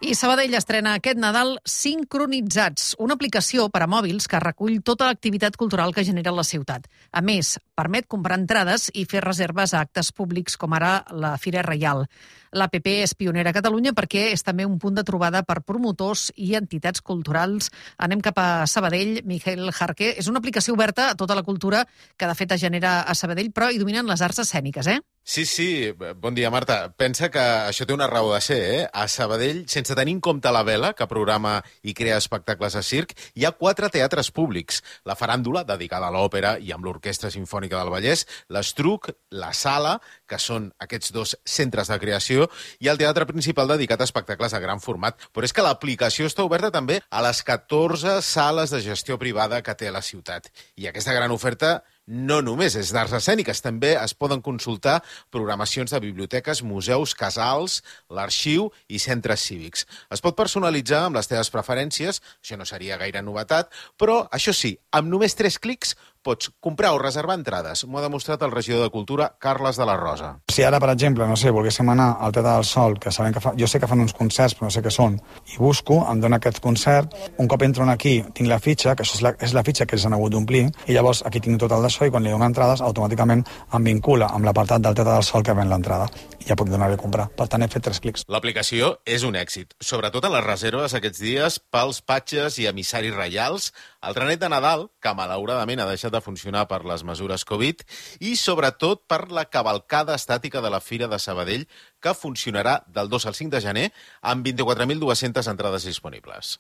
I Sabadell estrena aquest Nadal Sincronitzats, una aplicació per a mòbils que recull tota l'activitat cultural que genera la ciutat. A més, permet comprar entrades i fer reserves a actes públics com ara la Fira Reial. L'APP és pionera a Catalunya perquè és també un punt de trobada per promotors i entitats culturals. Anem cap a Sabadell. Miquel Jarque, és una aplicació oberta a tota la cultura que de fet es genera a Sabadell, però hi dominen les arts escèniques, Sí. Bon dia, Marta. Pensa que això té una raó de ser, A Sabadell, sense tenir en compte la Vela, que programa i crea espectacles de circ, hi ha 4 teatres públics. La Faràndula, dedicada a l'òpera i amb l'Orquestra Simfònica del Vallès, l'Estruc, la Sala, que són aquests 2 centres de creació, i el teatre principal dedicat a espectacles de gran format. Però és que l'aplicació està oberta també a les 14 sales de gestió privada que té la ciutat. I aquesta gran oferta no només és d'arts escèniques, també es poden consultar programacions de biblioteques, museus, casals, l'arxiu i centres cívics. Es pot personalitzar amb les teves preferències, això no seria gaire novetat, però, això sí, amb només 3 clics pots comprar o reservar entrades. M'ho ha demostrat el regidor de Cultura, Carles de la Rosa. Si ara, per exemple, no sé, volguéssim anar al Teatre del Sol, que sabem que jo sé que fan uns concerts, però no sé què són, i busco, em dona aquest concert, un cop entro aquí, tinc la fitxa, que això és la fitxa que ells han hagut d'omplir, i llavors aquí tinc tot el d'això, i quan li dono entrades, automàticament em vincula amb l'apartat del Teatre del Sol que ven l'entrada. I ja puc donar-li a comprar. Per tant, he fet 3 clics. L'aplicació és un èxit, sobretot en les reserves aquests dies pels patges i emissaris reials, el trenet de Nadal, que malauradament ha deixat de funcionar per les mesures Covid, i sobretot per la cavalcada estàtica de la Fira de Sabadell, que funcionarà del 2 al 5 de gener amb 24.200 entrades disponibles.